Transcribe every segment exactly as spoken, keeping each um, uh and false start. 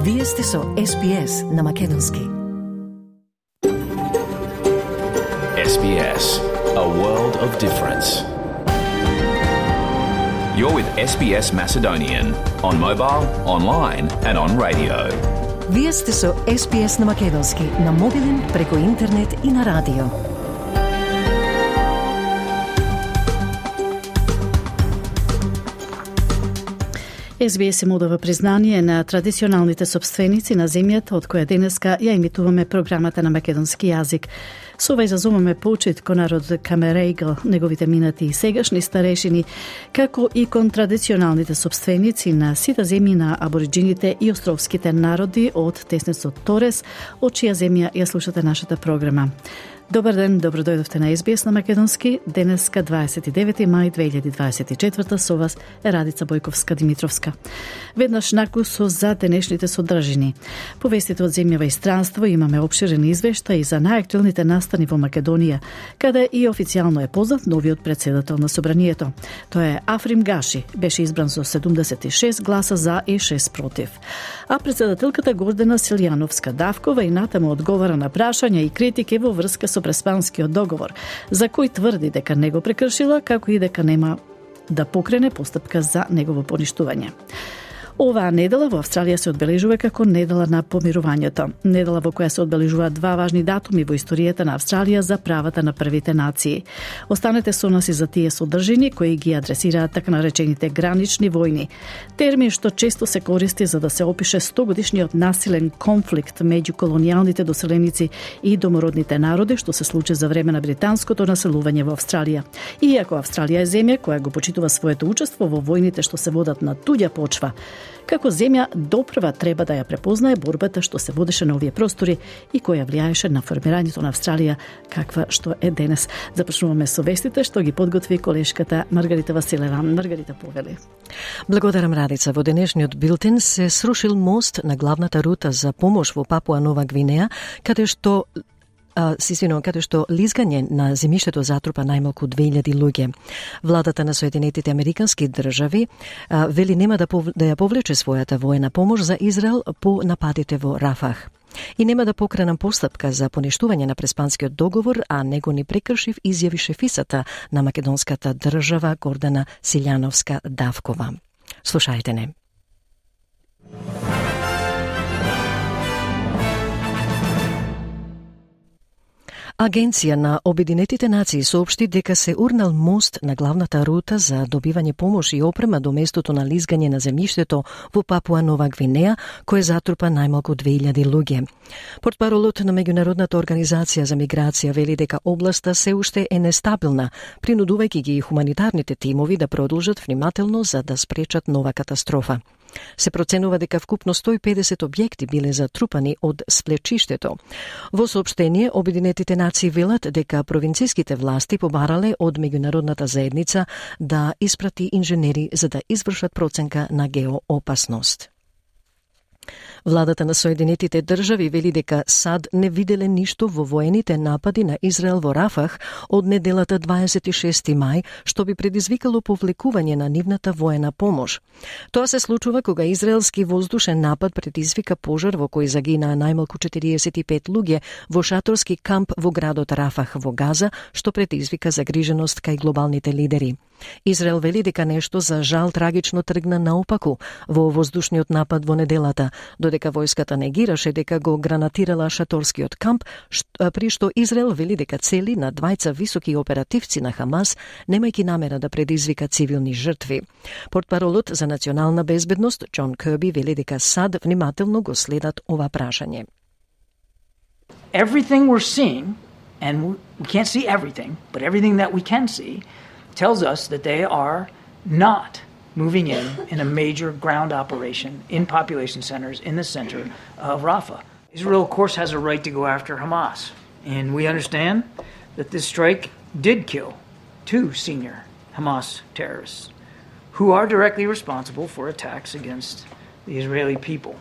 Вие сте со Ес Би Ес на Македонски. Ес Би Ес, a world of difference. You're with Ес Би Ес Macedonian on mobile, online and on radio. Вие сте со Ес Би Ес на Македонски, на мобилен, преку интернет и на радио. Ес Би Ес им одава признание на традиционалните собственици на земјата од која денеска ја емитуваме програмата на македонски јазик. Со ова изазумаме почит кон народот Камерегл, неговите минати и сегашни старешини, како и кон традиционалните собственици на сите земји на абориджините и островските народи од теснецот Торес, од чија земја ја слушате нашата програма. Добар ден, добро дојдовте на Ес Би Ес на Македонски. Денеска дваесет и девети мај две илјади дваесет и четврта со вас е Радица Бојковска-Димитровска. Веднаш накусо за денешните содржини. Повестите од земјава и странство, имаме обширен извештај за најактуелните настани во Македонија, каде и официјално е познат новиот председател на собранието. Тоа е Африм Гаши, беше избран со седумдесет и шест гласа за и шест против. А председателката Гордана Силјановска-Давкова и натаму одговара на прашања и критики во врска со Преспанскиот договор, за кој тврди дека не го прекршила, како и дека нема да покрене постапка за негово поништување. Оваа недела во Австралија се одбележува како недела на помирувањето. Недела во која се одбележуваат два важни датуми во историјата на Австралија за правата на првите нации. Останете со нас и за тие содржини кои ги адресираат така наречените гранични војни. Термин што често се користи за да се опише стогодишниот насилен конфликт меѓу колонијалните доселеници и домородните народи што се случи за време на британското населување во Австралија. Иако Австралија е земја која го почитува своето учество во војните што се водат на туѓа почва, како земја допрва треба да ја препознае борбата што се водеше на овие простори и која влијаеше на формирањето на Австралија каква што е денес. Започнуваме со вестите што ги подготви колешката Маргарита Василева. Маргарита, повели. Благодарам, Радица. Во денешниот билтен се срушил мост на главната рута за помош во Папуа Нова Гвинеја, каде што Сисвино, каде што лизгање на земјиштето затрупа најмалку две илјади луѓе. Владата на Соединетите Американски држави а, вели нема да, пов... да ја повлече својата воена помош за Израел по нападите во Рафах. И нема да покренам постапка за поништување на Преспанскиот договор, а него ни прекршив, изјави шефисата на македонската држава Гордана Силјановска-Давкова. Слушајте не. Агенција на Обединетите нации соопшти дека се урнал мост на главната рута за добивање помош и опрема до местото на лизгање на земјиштето во Папуа Нова Гвинеја, кој затрупа најмалку две илјади луѓе. Портпаролот на Меѓународната организација за миграција вели дека областа се уште е нестабилна, принудувајќи ги хуманитарните тимови да продолжат внимателно за да спречат нова катастрофа. Се проценува дека вкупно сто и педесет објекти биле затрупани од сплечиштето. Во соопштение, Обединетите нации велат дека провинцијските власти побарале од меѓународната заедница да испрати инженери за да извршат проценка на геоопасност. Владата на Соединетите држави вели дека САД не виделе ништо во воените напади на Израел во Рафах од неделата дваесет и шести мај, што би предизвикало повлекување на нивната воена помош. Тоа се случува кога израелски воздушен напад предизвика пожар во кој загинаа најмалку четириесет и пет луѓе во шаторски камп во градот Рафах во Газа, што предизвика загриженост кај глобалните лидери. Израел вели дека нешто за жал трагично тргна наопаку во воздушниот напад во неделата, додека војската негираше дека го гранатирала шаторскиот камп, при што Израел вели дека цели на двајца високи оперативци на Хамас, немајќи намера да предизвика цивилни жртви. Портпаролот за национална безбедност Џон Кирби вели дека САД внимателно го следат ова прашање. Everything we're seeing, and we can't see everything, but everything that we can see tells us that they are not moving in in a major ground operation in population centers in the center of Rafah. Israel, of course, has a right to go after Hamas, and we understand that this strike did kill two senior Hamas terrorists who are directly responsible for attacks against the Israeli people.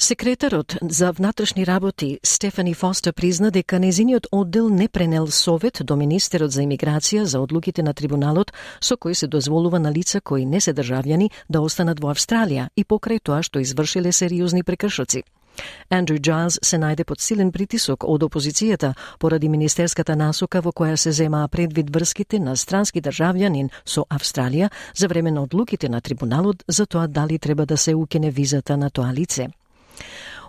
Секретарот за внатрешни работи Стефани Фостер призна дека незиниот оддел не пренел совет до министерот за имиграција за одлуките на трибуналот со кои се дозволува на лица кои не се државјани да останат во Австралија и покрај тоа што извршиле сериозни прекршоци. Андрю Джайлс се најде под силен притисок од опозицијата поради министерската насока во која се земаа предвид врските на странски државјанин со Австралија за време на одлуките на трибуналот за тоа дали треба да се укине визата на тоа лице.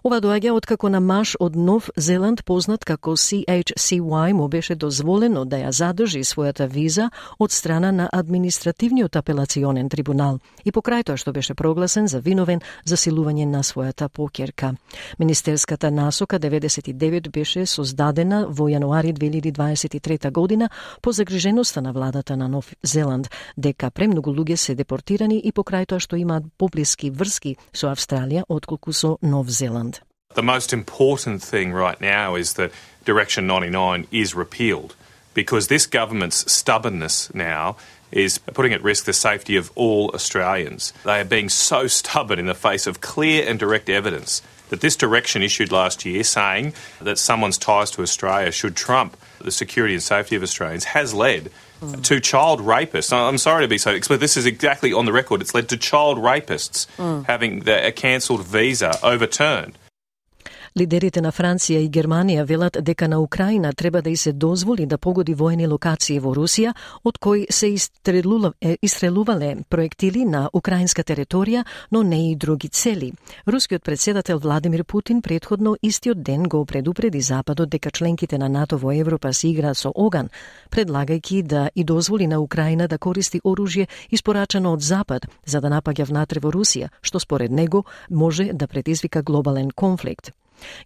Ова доаѓа откако на маж од Нов Зеланд, познат како Си Еич Си Уај, му беше дозволено да ја задржи својата виза од страна на административниот апелационен трибунал и покрај тоа што беше прогласен за виновен за силување на својата поќерка. Министерската насока деветдесет и девет беше создадена во јануари две илјади дваесет и трета година по загриженоста на владата на Нов Зеланд дека премногу луѓе се депортирани и покрај тоа што имаат поблиски врски со Австралија отколку со Нов Зеланд. The most important thing right now is that Direction ninety-nine is repealed because this government's stubbornness now is putting at risk the safety of all Australians. They are being so stubborn in the face of clear and direct evidence that this direction issued last year saying that someone's ties to Australia should trump the security and safety of Australians has led mm. to child rapists. I'm sorry to be so explicit. This is exactly on the record. It's led to child rapists mm. having the, a cancelled visa overturned. Лидерите на Франција и Германија велат дека на Украина треба да и се дозволи да погоди воени локации во Русија, од кои се истрелувале проектили на украинска територија, но не и други цели. Рускиот председател Владимир Путин претходно истиот ден го предупреди Западот дека членките на НАТО во Европа се играат со оган, предлагајќи да и дозволи на Украина да користи оружје испорачано од Запад за да напаѓа внатре во Русија, што според него може да предизвика глобален конфликт.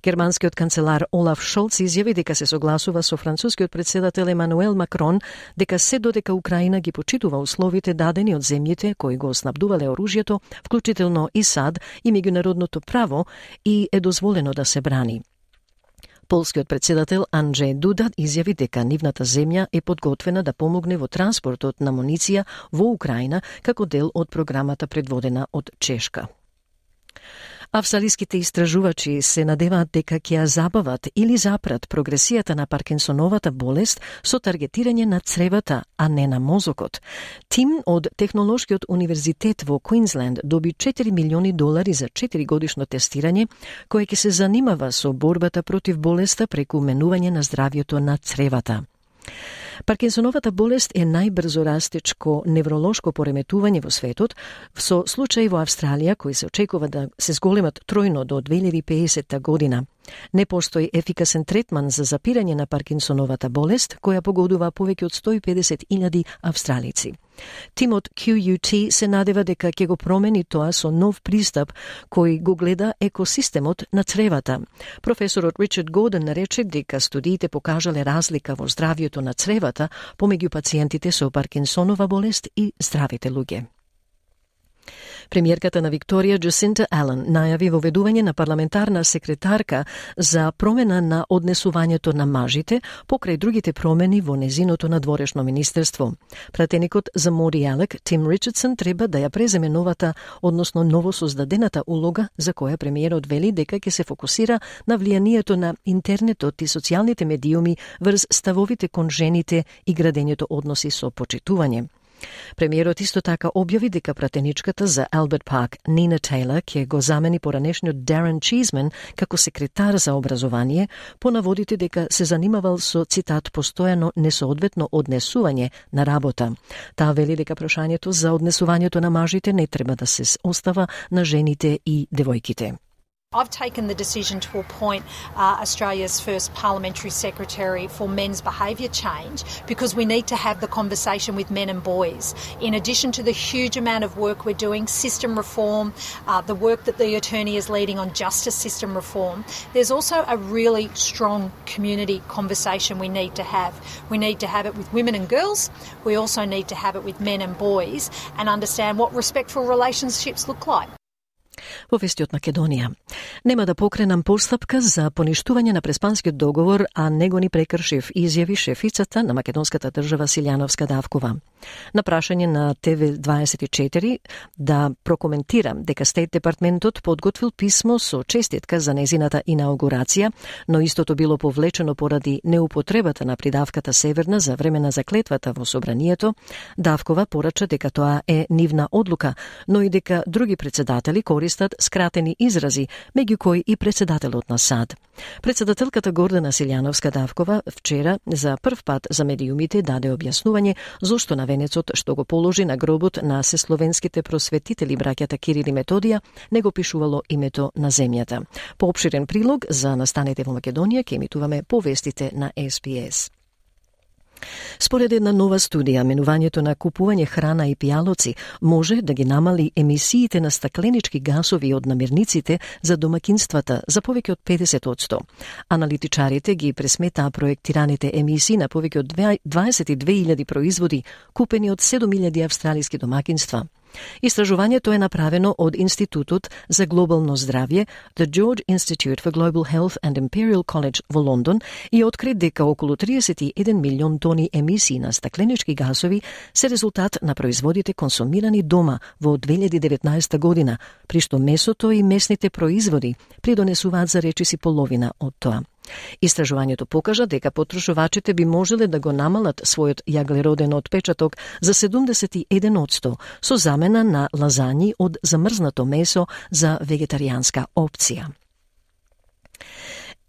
Германскиот канцелар Олаф Шолц изјави дека се согласува со францускиот председател Емануел Макрон дека се додека Украина ги почитува условите дадени од земјите кои го снабдувале оружјето, вклучително и САД и меѓународното право, и е дозволено да се брани. Полскиот председател Анджеј Дуда изјави дека нивната земја е подготвена да помогне во транспортот на муниција во Украина како дел од програмата предводена од Чешка. Австралиските истражувачи се надеваат дека ќе ја забават или запрат прогресијата на Паркинсоновата болест со таргетирање на цревата, а не на мозокот. Тим од Технолошкиот универзитет во Квинсленд доби четири милиони долари за четири годишно тестирање, кое ќе се занимава со борбата против болеста преку менување на здравјето на цревата. Паркинсоновата болест е најбрзо растечко невролошко пореметување во светот, со случаи во Австралија кои се очекува да се зголемат тројно до две илјади и педесета година. Не постои ефикасен третман за запирање на Паркинсоновата болест, која погодува повеќе од сто и педесет илјади австралици. Тимот Q U T се надева дека ќе го промени тоа со нов пристап кој го гледа екосистемот на цревата. Професорот Ричард Гордон рече дека студиите покажале разлика во здравјето на цревата помеѓу пациентите со Паркинсонова болест и здравите луѓе. Премиерката на Викторија Джасинта Ален најави воведување на парламентарна секретарка за промена на однесувањето на мажите покрај другите промени во незиното надворешно министерство. Пратеникот за Моди Алек, Тим Ричардсон, треба да ја преземе новата, односно новосоздадената улога за која премиерот вели дека ќе се фокусира на влијанието на интернетот и социјалните медиуми врз ставовите кон жените и градењето односи со почитување. Премиерот исто така објави дека пратеничката за Алберт Парк, Нина Тейлор, ќе го замени поранешниот Дарен Чизмен како секретар за образование, по наводите дека се занимавал со, цитат, постојано несоодветно однесување на работа. Таа вели дека прашањето за однесувањето на мажите не треба да се остава на жените и девојките. I've taken the decision to appoint uh, Australia's first parliamentary secretary for men's behaviour change because we need to have the conversation with men and boys. In addition to the huge amount of work we're doing, system reform, uh, the work that the attorney is leading on justice system reform, there's also a really strong community conversation we need to have. We need to have it with women and girls. We also need to have it with men and boys and understand what respectful relationships look like. Во вести од Македонија. Нема да покренам постапка за поништување на Преспанскиот договор, а него ни прекршив, изјави шефицата на македонската држава Силјановска Давкова. На прашање на Т В дваесет и четири да прокоментирам дека Стейт департментот подготвил писмо со честитка за незината инаугурација, но истото било повлечено поради неупотребата на придавката Северна за време на заклетвата во собранието, Давкова порача дека тоа е нивна одлука, но и дека други председатели користат скратени изрази, меѓу кои и председателот на САД. Председателката Гордана Силјановска Давкова вчера за прв пат за медиумите даде објаснување зошто на венецот што го положи на гробот на сесловенските просветители браќата Кирил и Методија не го пишувало името на земјата. По опширен прилог за настанете во Македонија ќе емитуваме повестите на С Б С. Според една нова студија, менувањето на купување храна и пијалоци може да ги намали емисиите на стакленички гасови од намирниците за домакинствата за повеќе од педесет одсто. Аналитичарите ги пресметаа проектираните емисии на повеќе од дваесет и две илјади производи купени од седум илјади австралиски домакинства. Истражувањето е направено од Институтот за глобално здравје, The George Institute for Global Health and Imperial College во Лондон и откри дека околу триесет и еден милион тони емисии на стакленички гасови се резултат на производите консумирани дома во две илјади и деветнаесета година, при што месото и месните производи придонесуваат за речиси половина од тоа. Истражувањето покажа дека потрошувачите би можеле да го намалат својот јаглероден отпечаток за седумдесет и еден одсто со замена на лазањи од замрзнато месо за вегетаријанска опција.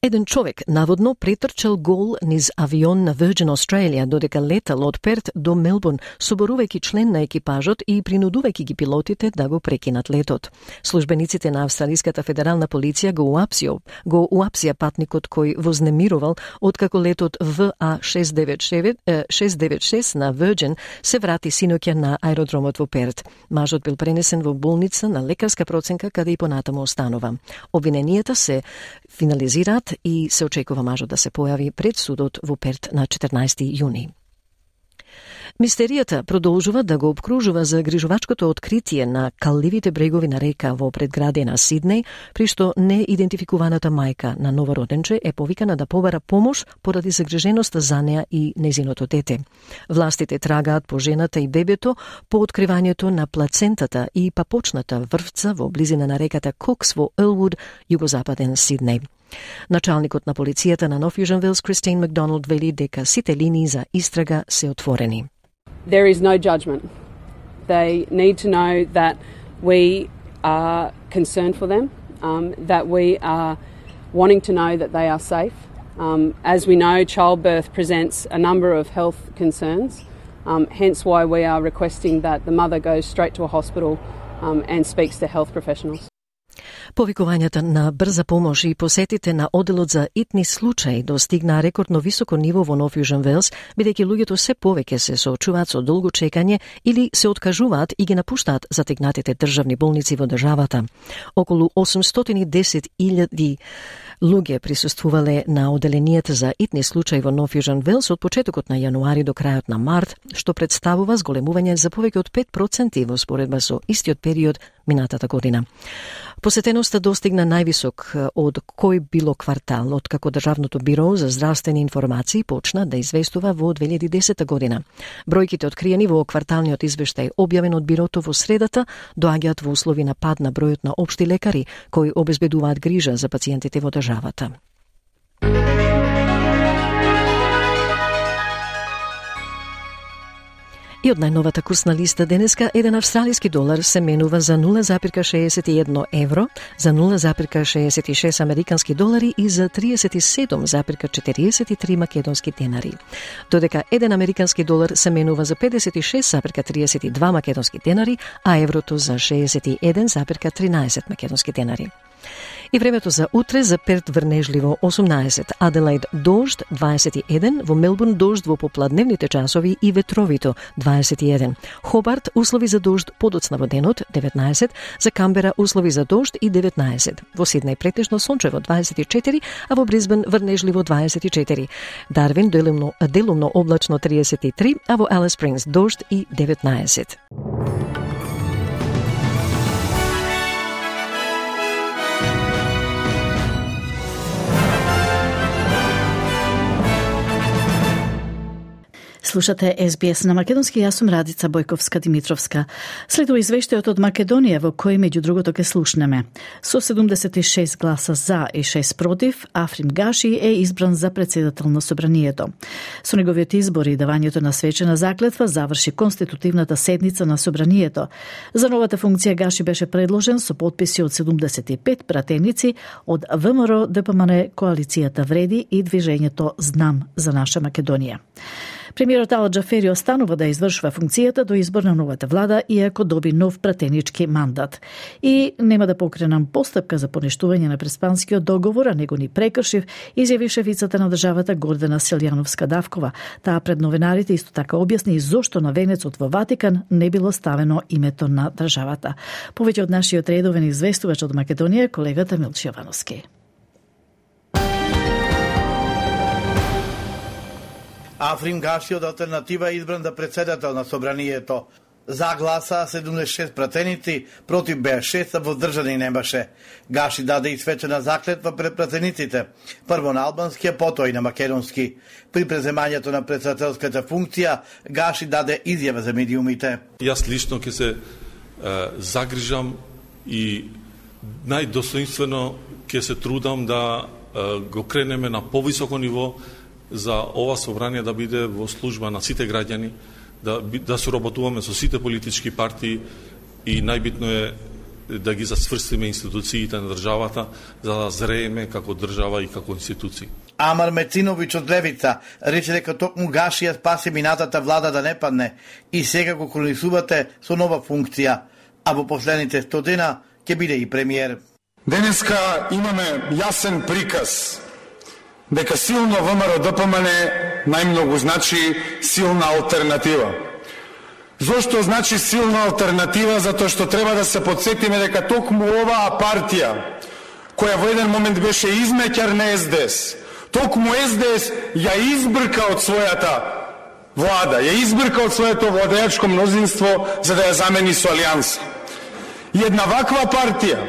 Еден човек наводно претрчал гол низ авион на Virgin Australia додека летал од Перт до Мелбурн, соборувајќи член на екипажот и принудувајќи ги пилотите да го прекинат летот. Службениците на Австралиската федерална полиција го уапсија, го уапсија патникот кој вознемирувал откако летот В А шест девет шест на Virgin се врати синоќа на аеродромот во Перт. Мажот бил пренесен во болница на лекарска проценка каде и понатаму останува. Обвиненијата се финализираат и се очекува мажот да се појави пред судот во Перт на четрнаесети јуни. Мистеријата продолжува да го обкружува загрижувачкото откритие на калливите брегови на река во предградие на Сиднеј, при што неидентификуваната мајка на новороденче е повикана да побара помош поради загриженоста за неа и незиното дете. Властите трагаат по жената и бебето по откривањето на плацентата и папочната врвца во близина на реката Кокс во Елвуд, југозападен Сиднеј. Началникот на полицијата на Нов Јужен Велс, Кристин Макдоналд, вели дека сите линии за истрага се отворени. There is no judgment. They need to know that we are concerned for them, um, that we are wanting to know that they are safe. Um, as we know, childbirth presents a number of health concerns, um, hence why we are requesting that the mother goes straight to a hospital um, and speaks to health professionals. Повикувањата на брза помош и посетите на оделот за итни случаи достигнаа рекордно високо ниво во Нов Јужен Велс, бидејќи луѓето се повеќе се соочуваат со долго чекање или се откажуваат и ги напуштаат затегнатите државни болници во државата. Околу осумстотини и десет илјади луѓе присуствувале на оделенијата за итни случаи во Нов Јужен Велс од почетокот на јануари до крајот на март, што представува зголемување за повеќе од пет проценти во споредба со истиот период минатата година. Посетеноста достигна највисок од кој било квартал, откако Државното биро за здравствени информации почна да известува во две илјади и десета година. Бројките откриени во кварталниот извештај објавен од бирото во средата доаѓаат во услови на пад на бројот на општи лекари кои обезбедуваат грижа за пациентите во државата. И од најновата курсна листа денеска, еден австралиски долар се менува за нула запирка шеесет и едно евро, за нула запирка шеесет и шест американски долари и за триесет и седум запирка четириесет и три македонски денари. Додека еден американски долар се менува за педесет и шест запирка триесет и два македонски денари, а еврото за шеесет и еден запирка тринаесет македонски денари. И времето за утре: за Перт врнежливо осумнаесет, Аделаид дожд дваесет и еден, во Мелбурн дожд во попладневните часови и ветровито дваесет и еден, Хобарт услови за дожд подоцна во денот деветнаесет, за Камбера услови за дожд и деветнаесет, во Сиднеј претежно сончево дваесет и четири, а во Брисбен врнежливо дваесет и четири, Дарвин делумно, делумно облачно триесет и три, а во Алис Спрингс дожд и деветнаесет. Слушате Ес Би Ес на македонски, јас сум Радица Бојковска-Димитровска. Следува извештајот од Македонија во кој меѓу другото ке слушнеме. Со седумдесет и шест гласа за и шест против, Африм Гаши е избран за председател на собранието. Со неговиот избор и давањето на свечена заклетва заврши конститутивната седница на собранието. За новата функција Гаши беше предложен со подписи од седумдесет и пет пратеници од ВМРО, ДПМН, Коалицијата Вреди и Движењето Знам за наша Македонија. Премиерот Ала Џафери останува да извршува функцијата до избор на новата влада, иако доби нов пратенички мандат. И нема да покренам постапка за поништување на преспанскиот договор, а него ни прекршив, изјави шефицата на државата Гордана Силјановска-Давкова. Таа пред новинарите исто така објасни зошто на венецот во Ватикан не било ставено името на државата. Повеќе од нашиот редовен известувач од Македонија, колегата Милчо Јовановски. Африм Гаши од Алтернатива е избран да председател на собранието. За гласа седумдесет и шест пратеници, против беа шест, а воздржани немаше. Гаши даде и свечена заклетва пред пратениците, прво на албански, а потоа и на македонски. При преземањето на председателската функција, Гаши даде изјава за медиумите. Јас лично ќе се е, загрижам и најдостоинствено ќе се трудам да е, го кренеме на повисоко ниво за ова собрание да биде во служба на сите граѓани, да, да соработуваме со сите политички партии и најбитно е да ги засврстиме институциите на државата за да зрееме како држава и како институции. Амар Мециновиќ од Левица рече дека токму Гаши ја спаси минатата влада да не падне и сега го колонизувате со нова функција, а во последните сто дена ќе биде и премиер. Денеска имаме јасен приказ дека силно ВМРО ДПМН најмногу значи силна алтернатива. Зошто значи силна алтернатива? Затоа што треба да се подсетиме дека токму оваа партија, која во еден момент беше измеќар на Ес Де Ес, токму Ес Де Ес ја избрка од својата влада, ја избрка од своето владеачко мнозинство за да ја замени со Алијанса. И една ваква партија,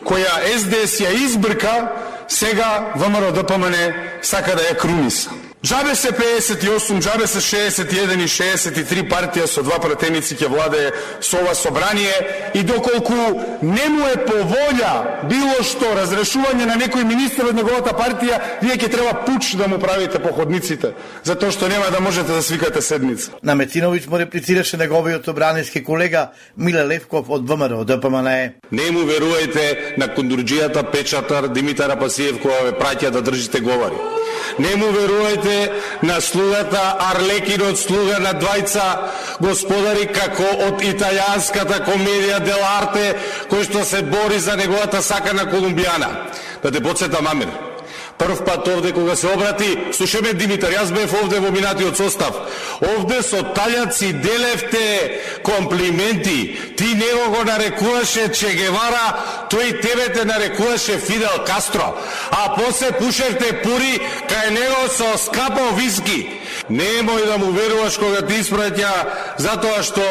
која Ес Де Ес ја избрка, сега ВМРО ДПМН сака да ја круниса. Джабе се педесет и осум, джабе се шеесет и еден и шеесет и три партија со два пратеници ќе владее со ова собрание и доколку не му е по волја било што разрешување на некој министер од неговата партија, вие ќе треба пуч да му правите по ходниците, затоа што нема да можете да свикате седница. На Мециновиќ му реплицираше неговиот собраниски колега Миле Левков од ВМРО ДПМН. Не му верувајте на кондурџијата Печатар Димитар Апасиев која ве праќа да држите говори. Не му верувајте на слугата Арлекинот слуга на двајца господари како од италијанската комедија Дел Арте кој што се бори за неговата сакана колумбијана. Да те подсетам, Амир. Прв пат овде кога се обрати, слушаме Димитар, јас бев овде во минатиот состав. Овде со таљаци делевте комплименти. Ти него го нарекуваше Че Гевара, тој тебе те нарекуваше Фидел Кастро. А после пушевте пури кај него со скапо виски. Немој да му веруваш кога ти испраќа, затоа што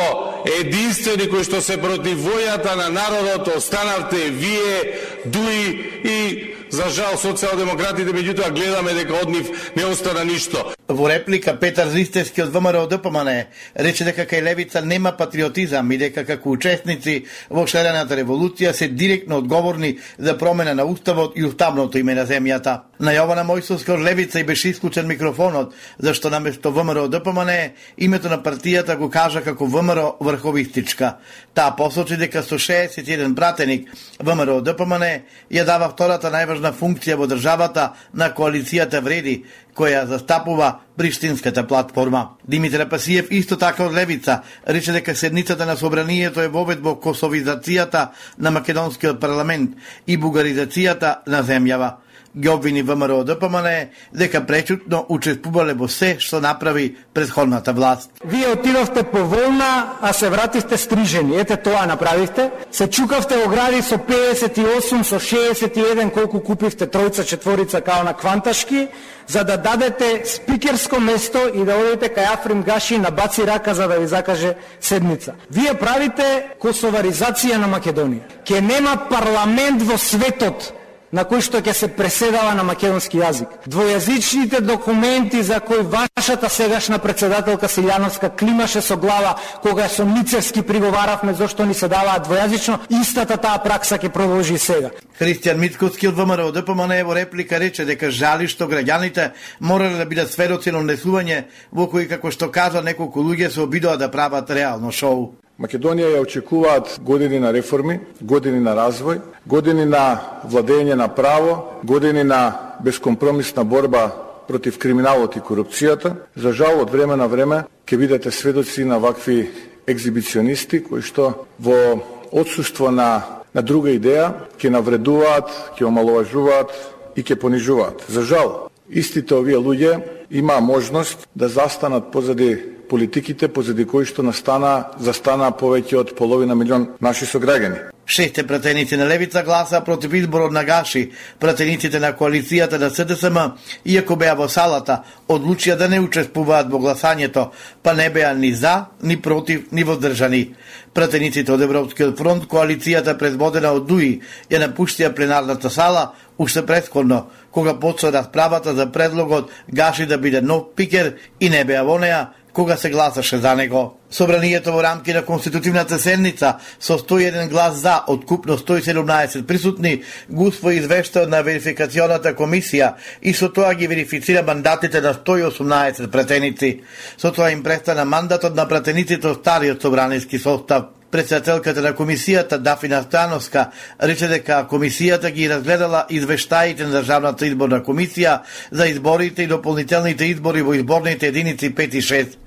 единствени кои што се против војата на народот останавте вие, Дуи и за жал социјалдемократите, меѓутоа гледаме дека од нив не остана ништо. Во реплика Петар Зистевски од ВМРО ДПМН рече дека кај левица нема патриотизам и дека како учесници во шарената револуција се директно одговорни за промена на уставот и уставното име на земјата. На Јована Мојсовска од левица и беше исклучен микрофонот, зашто наместо ВМРО ДПМН името на партијата го кажа како ВМРО врховистичка. Таа посочи дека со шеесет и еден пратеник ВМРО ДПМН ја дава втората најважна функција во државата на Коалицијата Вреди, која застапува Приштинската платформа. Димитар Апасиев исто така од левица рече дека седницата на собранието е вовед во косовизацијата на македонскиот парламент и бугаризацијата на земјава. Ги обвини ВМРО ДПМН дека пречутно учествувале во се што направи претходната власт. Вие отидовте по волна, а се вративте стрижени. Ете тоа направивте. Се чукавте во гради со педесет и осум, со шеесет и еден, колку купивте тројца, четворица као на Кванташки, за да дадете спикерско место и да одите кај Африм Гаши на баци рака за да ви закаже седница. Вие правите косоваризација на Македонија. Ке нема парламент во светот на кој што ќе се преседава на македонски јазик. Двојазичните документи за кои вашата сегашна председателка Силјановска климаше со глава кога со Ницевски приговаравме зошто ни се даваат двојазично, истата таа пракса ќе продолжи и сега. Христијан Мицковски од ВМРО Д П М Н во реплика рече дека жали што граѓаните морале да бидат сведоци на унесување во кои, како што кажа, неколку луѓе се обидоа да прават реално шоу. Македонија ја очекуваат години на реформи, години на развој, години на владење на право, години на бескомпромисна борба против криминалот и корупцијата. За жал, од време на време ќе бидете сведоци на вакви екзибиционисти кои што во отсуство на, на друга идеја ќе навредуваат, ќе омаловажуваат и ќе понижуваат. За жал, истите овие луѓе има можност да застанат позади политиките, позади кои што настана, застана повеќе од половина милион наши сограѓани. Шесте пратеници на левица гласа против изборот на Гаши. Пратениците на коалицијата на С Д С М, иако беа во салата, одлучија да не учествуваат во гласањето, па не беа ни за, ни против, ни воздржани. Пратениците од Европскиот фронт, коалицијата предводена од Дуи, ја напуштија пленарната сала уште претходно, кога почна расправата за предлогот Гаши да биде нов спикер и не беа во неа, кога се гласаше за него. Собранието во рамки на конститутивната седница со сто и еден глас за од купно сто и седумнаесет присутни го усвои извештајот на верификационата комисија и со тоа ги верифицира мандатите на сто и осумнаесет пратеници. Со тоа им престана мандатот на пратениците од стариот собраниски состав. Председателката на комисијата Дафина Становска рече дека комисијата ги разгледала извештаите на Државната изборна комисија за изборите и дополнителните избори во изборните единици пет и шест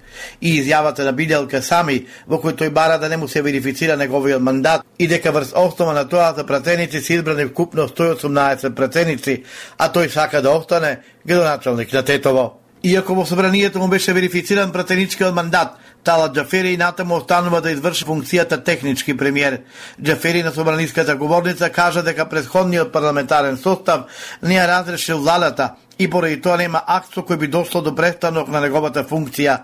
и изјавата на Биделка Сами, во кој тој бара да не му се верифицира неговиот мандат и дека врз основа на тоа за пратеници се избрани вкупно сто и осумнаесет пратеници, а тој сака да остане градоначалник на Тетово. Иако во собранието му беше верифициран пратеничкиот мандат, Талат Џафери и натаму останува да изврши функцијата технички премиер. Џафери на собраниската говорница кажа дека претходниот парламентарен состав не ја разрешил владата и поради тоа нема акт со кој би дошло до престанок на неговата функција.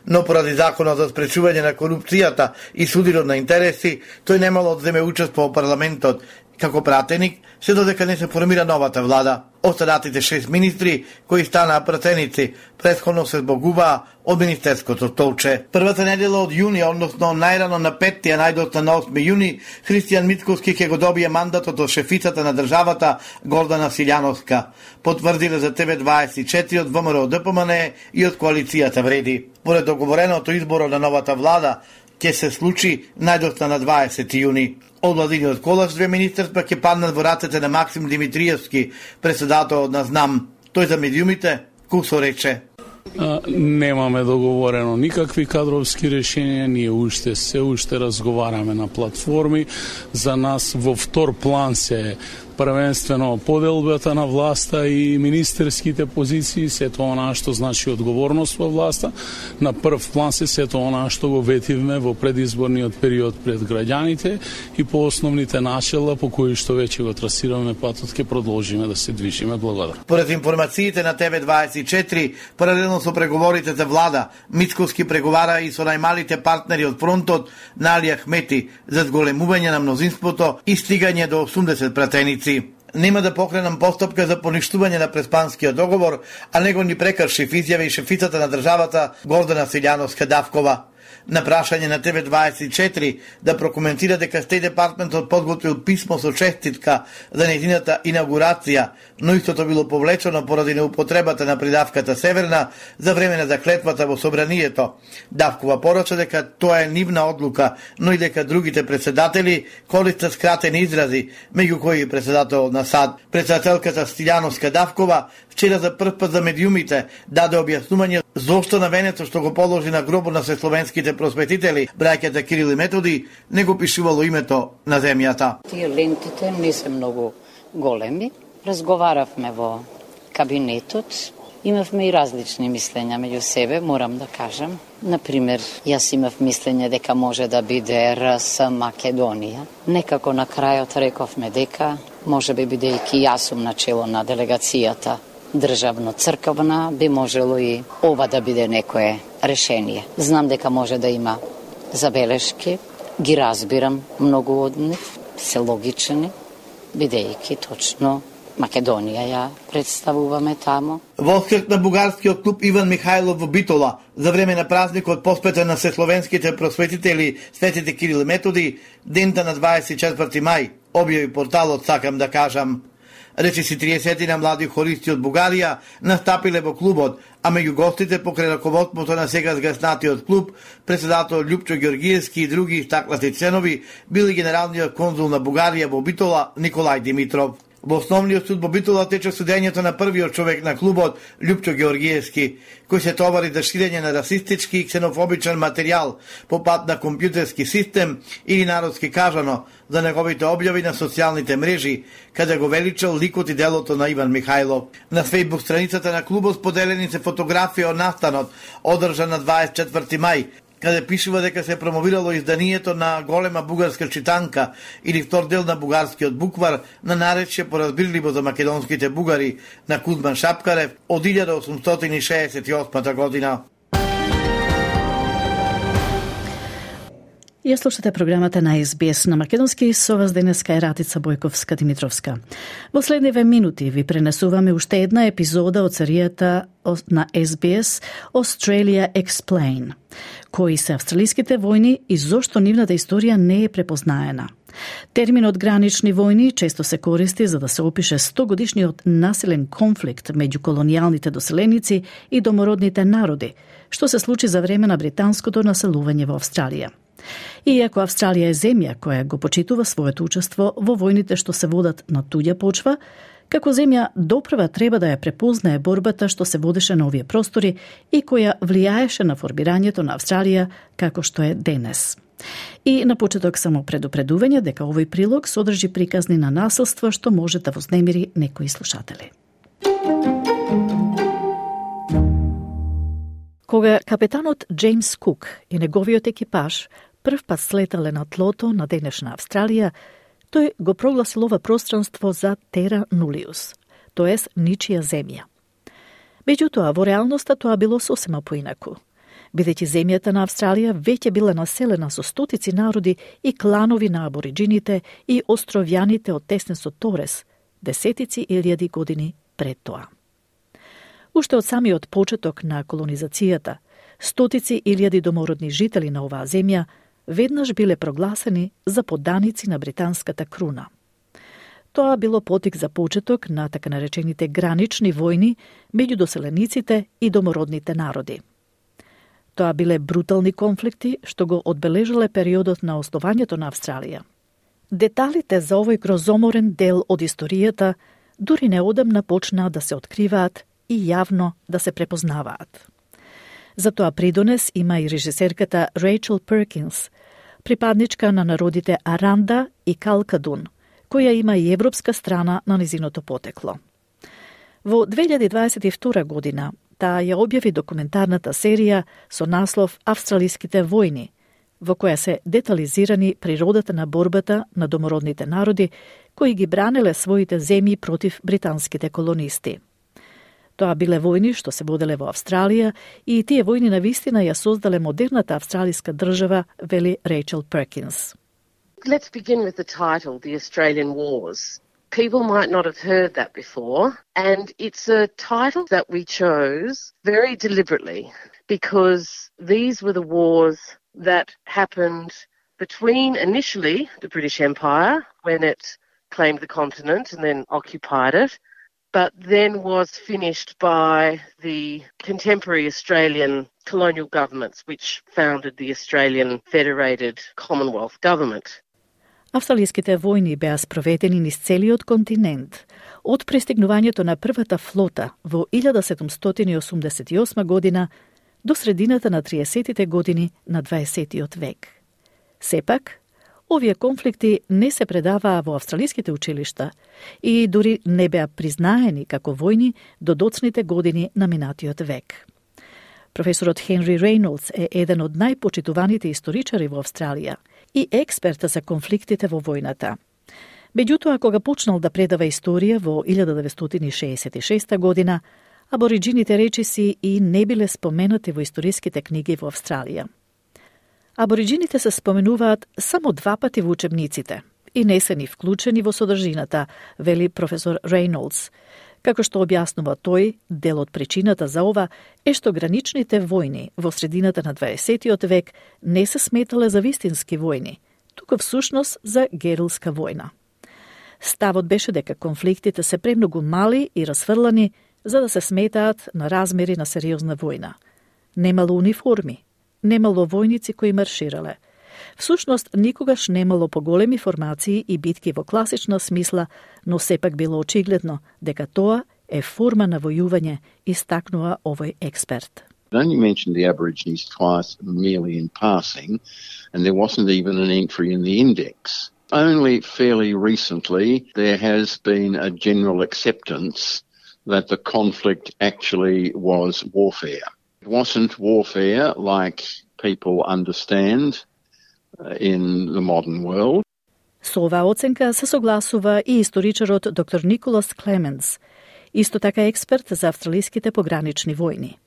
Но поради законот за спречување на корупцијата и судирот на интереси, тој немало да земе учество во парламентот како пратеник, се додека не се формира новата влада. Останатите шест министри кои станаа пратеници претходно се збогуваа од министерското столче. Првата недела од јуни, односно најрано на петти, а најдоцна на осми јуни, Христијан Мицковски ќе го добие мандатот од шефицата на државата Гордана Силјановска. Потврдиле за Т В дваесет и четири од ВМРО Д П М Н и од коалицијата Вреди. Поред договореното изборот на новата влада ќе се случи најдоцна на дваесети јуни. Од владиниот колаш две министерства ќе паднат во рацете на Максим Димитриевски, председател на ЗНАМ. Тој за медиумите кусо рече: Немаме договорено никакви кадровски решенија, ние уште се уште разговараме на платформи. За нас во втор план се првенствено поделбата на власта и министерските позиции, сето она што значи одговорност во власта. На прв план се сето она што го ветивме во предизборниот период пред граѓаните и по основните начела по кои што веќе го трасираме патот, ќе продолжиме да се движиме. Благодарам. Поред информациите на Т В дваесет и четири, паралелно со преговорите за влада, Мицковски преговара и со најмалите партнери од фронтот на Али Ахмети за зголемување на мнозинството и стигање до осумдесет пратеници. Нема да покренам постапка за поништување на Преспанскиот договор, а него ни прекрши в изјави и шефицата на државата Гордана Силјановска Давкова. На прашање на Т В дваесет и четири да прокоментира дека Стејт Департментот подготвил писмо со честитка за нејзината инаугурација, но истото било повлечено поради неупотребата на придавката Северна за време на заклетвата во собранието. Давкова порача дека тоа е нивна одлука, но и дека другите председатели користат скратени изрази, меѓу кои и председател на САД. Председателката Силјановска Давкова вчера за прв пат за медиумите даде објаснување зошто на венецот што го положи на гробот на светсловенските просветители, браќата Кирил и Методи, не го пишувало името на земјата. Тие лентите не се многу големи. Разговаравме во кабинетот. Имавме и различни мислења меѓу себе, морам да кажам. Например, јас имав мислење дека може да биде Р С Македонија. Некако на крајот рековме дека, може би бидејќи јас сум начело на делегацијата државно-црковна, би можело и ова да биде некое решение. Знам дека може да има забелешки, ги разбирам многу од нив, се логични, бидејќи точно Македонија ја представуваме тамо. Во скрт на бугарскиот клуб Иван Михајлов во Битола за време на празникот посветен на сесловенските просветители Светите Кирил и Методи, дента на дваесет и четврти мај, објави порталот Сакам да кажам. Речиси триесет на млади хористи од Бугарија настапиле во клубот, а меѓу гостите покрај раководството на сега згаснатиот клуб, председател Љупчо Ѓоргиевски и други истакнати членови били генералниот конзул на Бугарија во Битола Николај Димитров. Во основниот суд во Битола тече судењето на првиот човек на клубот Љупчо Ѓоргиевски, кој се товари за ширење на расистички и ксенофобичен материјал по пат на компјутерски систем или народски кажано за неговите објави на социјалните мрежи, каде го величал ликот и делото на Иван Михајлов. На фејсбук страницата на клубот споделени се фотографија од настанот, одржан на дваесет и четврти мај, каде пишува дека се промовирало изданието на голема бугарска читанка или втор дел на бугарскиот буквар на наречје поразбирливо за македонските бугари на Кузман Шапкарев од илјада осумстотини шеесет и осма година. Ја слушате програмата на Ес Би Ес на македонски, со вас денеска е Ратица Бојковска-Димитровска. Во следниве минути ви пренесуваме уште една епизода од серијата на Ес Би Ес Australia Explain. Кои се австралиските војни и зошто нивната историја не е препознаена. Терминот гранични војни често се користи за да се опише стогодишниот насилен конфликт меѓу колонијалните доселеници и домородните народи, што се случи за време на британското населување во Австралија. Иако Австралија е земја која го почитува своето учество во војните што се водат на туѓа почва, како земја допрва треба да ја препознае борбата што се водеше на овие простори и која влијаеше на формирањето на Австралија како што е денес. И на почеток само предупредување дека овој прилог содржи приказни на насилство што може да вознемири некои слушатели. Кога капетанот Джеймс Кук и неговиот екипаж прв пат слетале на тлото на денешна Австралија, тој го прогласил ова пространство за Тера Нулиус, тоест ничија земја. Меѓутоа, во реалноста тоа било сосема поинаку, бидејќи земјата на Австралија веќе била населена со стотици народи и кланови на абориджините и островјаните од Теснесот Торес, десетици илјади години пред тоа. Уште од самиот почеток на колонизацијата, стотици илјади домородни жители на оваа земја веднаш биле прогласени за подданици на британската круна. Тоа било потик за почеток на така наречените гранични војни меѓу доселениците и домородните народи. Тоа биле брутални конфликти што го одбележале периодот на основањето на Австралија. Деталите за овој грозоморен дел од историјата дури неодамна почнаа да се откриваат и јавно да се препознаваат. За тоа придонес има и режисерката Рейчел Перкинс, припадничка на народите Аранда и Калкадун, која има и европска страна на низиното потекло. Во две илјади дваесет и втора година таа ја објави документарната серија со наслов Австралиските војни, во која се детализирани природата на борбата на домородните народи кои ги бранеле своите земји против британските колонисти. Тоа биле војни што се воделе во Австралија и тие војни навистина ја создале модерната австралиска држава, вели Рейчел Перкинс. Let's begin with the title, The Australian Wars. People might not have heard that before, and it's a title that we chose very deliberately because these were the wars that happened between initially the British Empire when it claimed the continent and then occupied it, but then was finished by the contemporary Australian colonial governments, which founded the Australian Federated Commonwealth Government. Австралиските војни беа спроведени низ целиот континент, од пристигнувањето на првата флота во илјада седумстотини осумдесет и осма година до средината на триесеттите години на дваесеттиот век. Сепак, овие конфликти не се предаваа во австралиските училишта и дури не беа признаени како војни до доцните години на минатиот век. Професорот Хенри Рейнолдс е еден од најпочитуваните историчари во Австралија и експерт за конфликтите во војната. Меѓутоа, кога почнал да предава историја во илјада деветстотини шеесет и шеста година, абориджините речиси и не биле споменати во историските книги во Австралија. Абориджините се споменуваат само два пати во учебниците и не се ни вклучени во содржината, вели професор Рейнолдс. Како што објаснува тој, дел од причината за ова е што граничните војни во средината на дваесеттиот век не се сметале за вистински војни, туку всушност за герилска војна. Ставот беше дека конфликтите се премногу мали и расфрлани за да се сметаат на размери на сериозна војна. Немало униформи, немало војници кои марширале. Всушност, никогаш немало поголеми формации и битки во класична смисла, но сепак било очигледно дека тоа е форма на војување, истакнува овој експерт. It only mentioned the Aborigines twice merely in passing, and there wasn't even an entry in the index. Only fairly recently there has been a general acceptance that the conflict actually was warfare. It wasn't warfare like people understand in the modern world. Со оваа оценка се согласува и историчарот доктор Николас Клеменс, исто така експерт за австралиските погранични војни.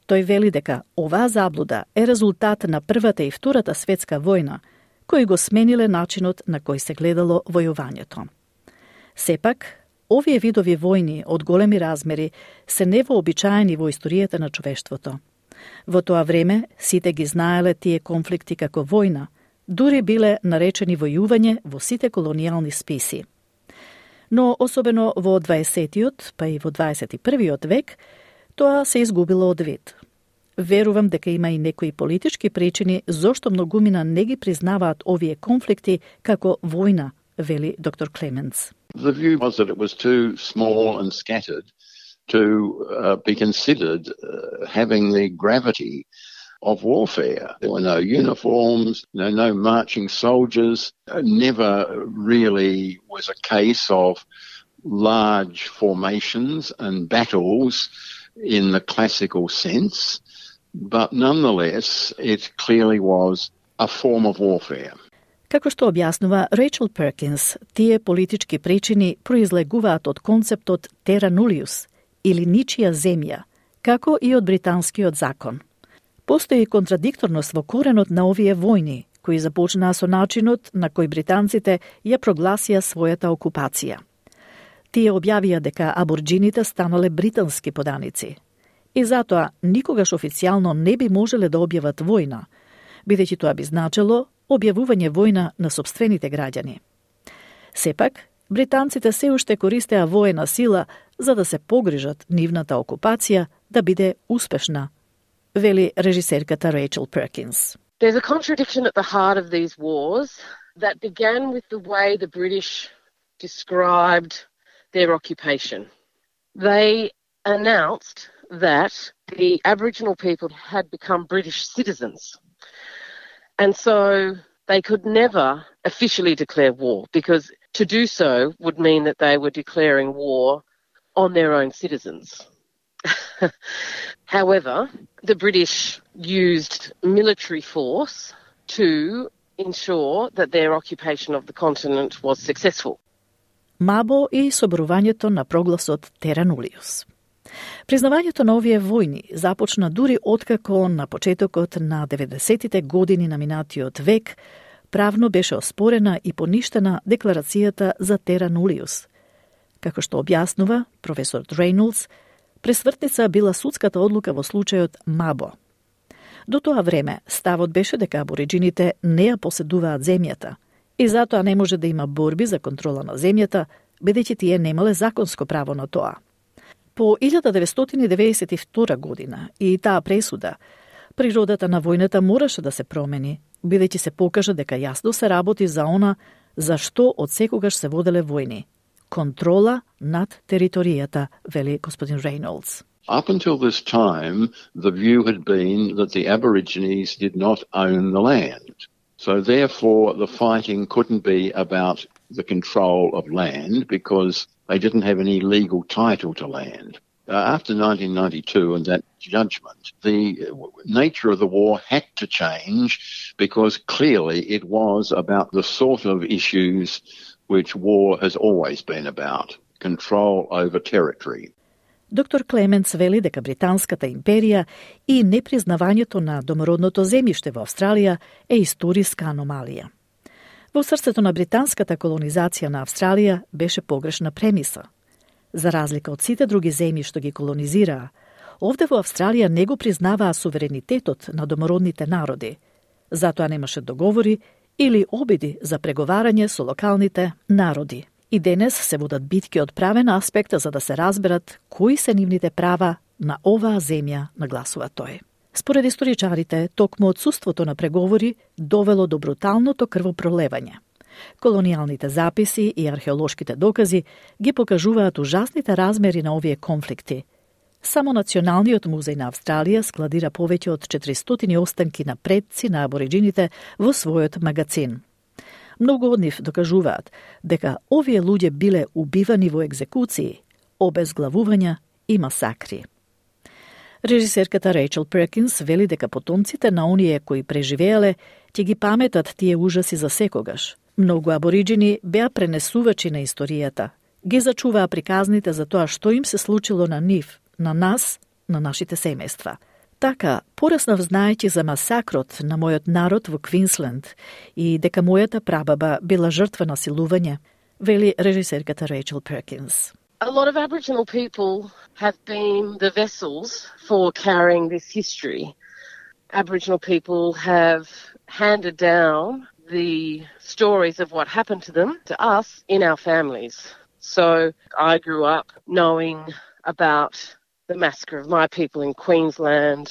Тој вели дека оваа заблуда е резултат на Првата и Втората светска војна, кои го смениле начинот на кој се гледало војувањето. Сепак, овие видови војни од големи размери се невообичаени во историјата на човештвото. Во тоа време сите ги знаеле тие конфликти како војна, дури биле наречени војување во сите колонијални списи. Но особено во дваесеттиот, па и во дваесет и првиот век, тоа се изгубило од вид. Верувам дека има и некои политички причини зошто многумина не ги признаваат овие конфликти како војна, вели доктор Клеменс. The view was that it was too small and scattered to uh, be considered uh, having the gravity of warfare. There were no uniforms, no, no marching soldiers. It never really was a case of large formations and battles in the classical sense, but nonetheless it clearly was a form of warfare. Како што објаснува Рейчел Перкинс, тие политички причини произлегуваат од концептот terra nullius, или ничија земја, како и од британскиот закон. Постои контрадикторност во коренот на овие војни, кои започнаа со начинот на кој британците ја прогласија својата окупација. Тие објавија дека аборџините станале британски поданици. И затоа никогаш официјално не би можеле да објават војна, бидејќи тоа би значело објавување војна на сопствените граѓани. Сепак, британците се уште користеа воена сила за да се погрижат нивната окупација да биде успешна, вели режисерката Рейчел Перкинс. There's a contradiction at the heart of these wars that began with the way the British described their occupation. They announced that the Aboriginal people had become British citizens. And so they could never officially declare war because to do so would mean that they were declaring war on their own citizens. However, the British used military force to ensure that their occupation of the continent was successful. Мабо и соборувањето на прогласот terra nullius. Признавањето на овие војни започна дури откако на почетокот на деветдесеттите години на минатиот век правно беше оспорена и поништена декларацијата за terra nullius. Како што објаснува професор Рейнолдс, пресвртница била судската одлука во случајот Мабо. До тоа време ставот беше дека абориџините не ја поседуваат земјата и затоа не може да има борби за контрола на земјата, бидејќи тие немале законско право на тоа. По илјада деветстотини деветдесет и втора година и таа пресуда, природата на војната мораше да се промени, бидејќи се покажа дека јасно се работи за она за што од секогаш се воделе војни. Контрола над територијата, вели господин Рейнолдс. Up until this time, the view had been that the Aborigines did not own the land. So therefore, the fighting couldn't be about the control of land because they didn't have any legal title to land. Uh, after nineteen ninety-two and that judgment, the nature of the war had to change because clearly it was about the sort of issues which war has always been about, control over territory. Доктор Клеменс вели дека Британската империја и непризнавањето на домородното земјиште во Австралија е историска аномалија. Во срцето на британската колонизација на Австралија беше погрешна премиса. За разлика од сите други земји што ги колонизираа, овде во Австралија не го признаваа суверенитетот на домородните народи. Затоа немаше договори или обиди за преговарање со локалните народи. И денес се водат битки од правен аспект за да се разберат кои се нивните права на оваа земја, нагласува тој. Според историчарите, токму отсуството на преговори довело до бруталното крвопролевање. Колонијалните записи и археолошките докази ги покажуваат ужасните размери на овие конфликти. Само Националниот музеј на Австралија складира повеќе од четиристотини останки на предци на абориджините во својот магацин. Многу од нив докажуваат дека овие луѓе биле убивани во екзекуции, обезглавувања и масакри. Режисерката Рейчел Перкинс вели дека потомците на оние кои преживеале ќе ги паметат тие ужаси за секогаш. Многу абориджини беа пренесувачи на историјата. Ги зачуваа приказните за тоа што им се случило на нив, на нас, на нашите семејства. Така, пораснав знаејќи за масакрот на мојот народ во Квинсленд и дека мојата прабаба била жртва на силување, вели режисерката Рейчел Перкинс. A lot of Aboriginal people have been the vessels for carrying this history. Aboriginal people have handed down the stories of what happened to them to us in our families. So I grew up knowing about the massacre of my people in Queensland,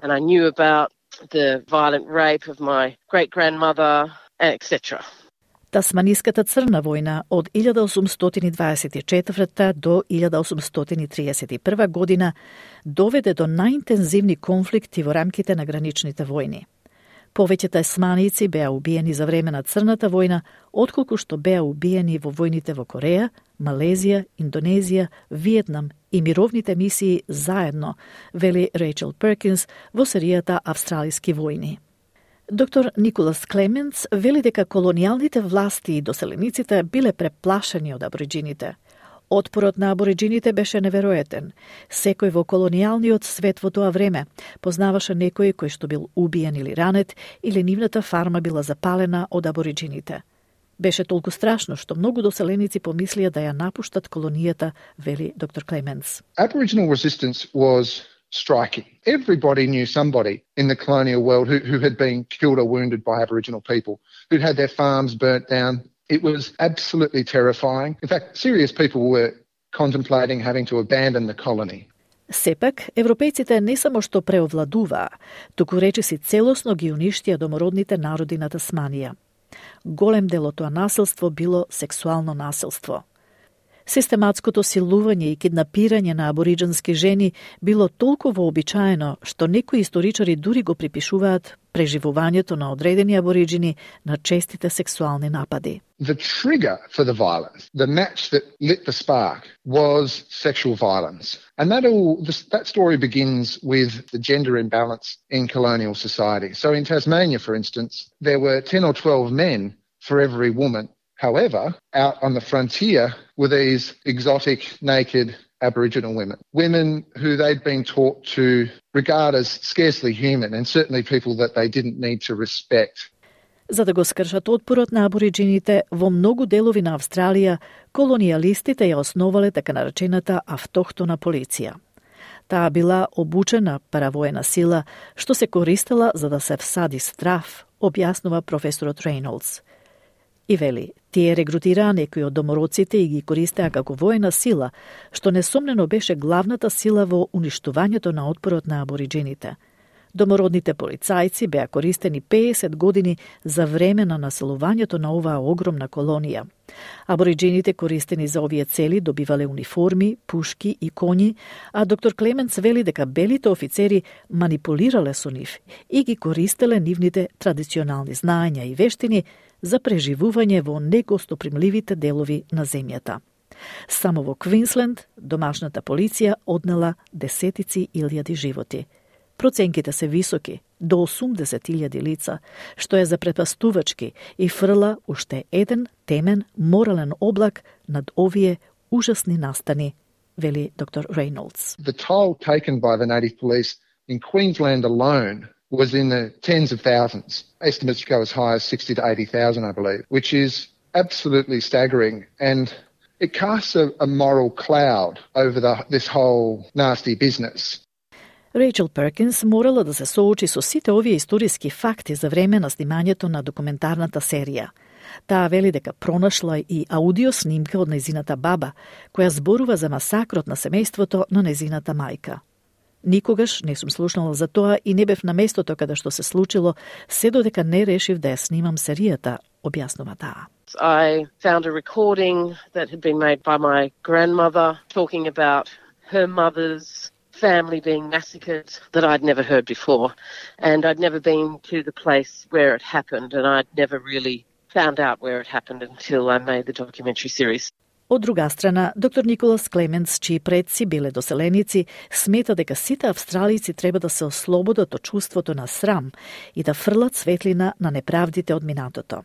and I knew about the violent rape of my great-grandmother, et cetera. Тасманиската црна војна од илјада осумстотини дваесет и четврта до илјада осумстотини триесет и прва година доведе до најинтензивни конфликти во рамките на граничните војни. Повеќе тасманици беа убиени за време на Црната војна, отколку што беа убиени во војните во Кореја, Малезија, Индонезија, Виетнам и мировните мисии заедно, вели Рейчел Перкинс во серијата Австралиски војни. Доктор Николас Клеменц вели дека колонијалните власти и доселениците биле преплашени од абориджините. Отпорот на абориджините беше неверојатен. Секој во колонијалниот свет во тоа време познаваше некој кој што бил убиен или ранет, или нивната фарма била запалена од абориджините. Беше толку страшно што многу доселеници помислија да ја напуштат колонијата, вели доктор Клеменц. Aboriginal resistance was striking. Everybody knew somebody in the colonial world who, who had been killed or wounded by Aboriginal people, who'd had their farms burnt down. It was absolutely terrifying. In fact, serious people were contemplating having to abandon the colony. Сепак, европејците не само што преовладуваа, туку речиси целосно ги уништија домородните народи на Тасманија. Голем дел од тоа насилство било сексуално насилство. Систематското силување и киднапирање на абориджански жени било толку вообичаено што некои историчари дури го припишуваат преживувањето на одредени абориджини на честите сексуални напади. The trigger for the violence, the match that lit the spark, was sexual violence. And that all, that story begins with the gender imbalance in colonial society. So in Tasmania, for instance, there were ten or twelve men for every woman. However, out on the frontier were these exotic, naked Aboriginal women. Women who they'd been taught to regard as scarcely human and certainly people that they didn't need to respect. За да го скршат отпорот на абориджините, во многу делови на Австралија, колонијалистите ја основале така наречената автохтона полиција. Таа била обучена паравоена сила, што се користела за да се всади страв, објаснува професорот Рейнолдс. И вели, тие регрутираа некои од домородците и ги користеа како воена сила, што несомнено беше главната сила во уништувањето на отпорот на абориджините. Домородните полицајци беа користени пеесет години за време на населувањето на оваа огромна колонија. Абориджините користени за овие цели добивале униформи, пушки и коњи, а доктор Клеменц вели дека белите офицери манипулирале со нив и ги користеле нивните традиционални знаења и вештини за преживување во негостопримливите делови на земјата. Само во Квинсленд домашната полиција однела десетици илјади животи. Проценките се високи, до осумдесет илјади лица, што е запрепастувачки и фрла уште еден темен морален облак над овие ужасни настани, вели доктор Рейнолдс. The toll taken by the native police in Queensland alone was in the tens of thousands. Estimates go as high as sixty to eighty thousand, I believe, which is absolutely staggering. And it casts a, a moral cloud over the, this whole nasty business. Rachel Perkins morala да се соочи со сите овие историски факти за време на снимањето на документарната серија. Таа вели дека пронашла и аудио снимка од незината баба, која зборува за масакрот на семејството на незината мајка. Никогаш не сум слушнала за тоа и не бев на местото каде што се случило, се додека не решив да ја снимам серијата, објаснува таа. I found a recording that had been made by my grandmother talking about her mother's family being massacred that I'd never heard before. And I'd never been to the place where it happened, and I'd never really found out where it happened until I made the documentary series. Од друга страна, доктор Николас Клеменс, чии предци биле доселеници, смета дека сите австралици треба да се ослободат од чувството на срам и да фрлат светлина на неправдите од минатото.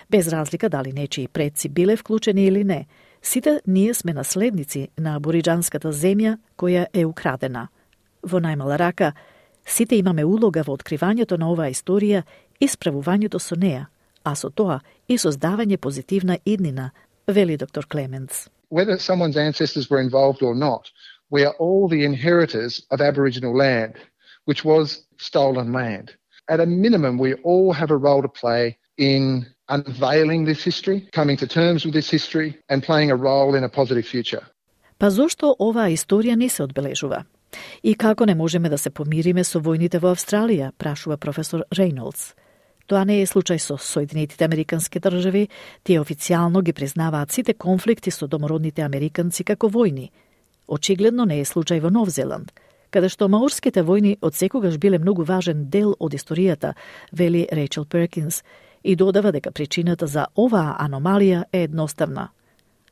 Без разлика дали нечии предци биле вклучени или не, сите ние сме наследници на абориџанската земја која е украдена. Во најмала рака, сите имаме улога во откривањето на оваа историја и справувањето со неа, а со тоа и создавање позитивна иднина, вели доктор Клеменс. Whether someone's ancestors were involved or not, we are all the inheritors of Aboriginal land, which was stolen land. At a minimum, we all have a role to play in unveiling this history, coming to terms with this history, and playing a role in a positive future. Па зошто оваа историја не се одбележува? И како не можеме да се помириме со војните во Австралија, прашува професор Рейнолдс. Тоа не е случај со Соединетите Американски држави, тие официјално ги признаваат сите конфликти со домородните американци како војни. Очигледно не е случај во Нов Зеланд, каде што маорските војни одсекогаш биле многу важен дел од историјата, вели Рейчел Перкинс, и додава дека причината за оваа аномалија е едноставна.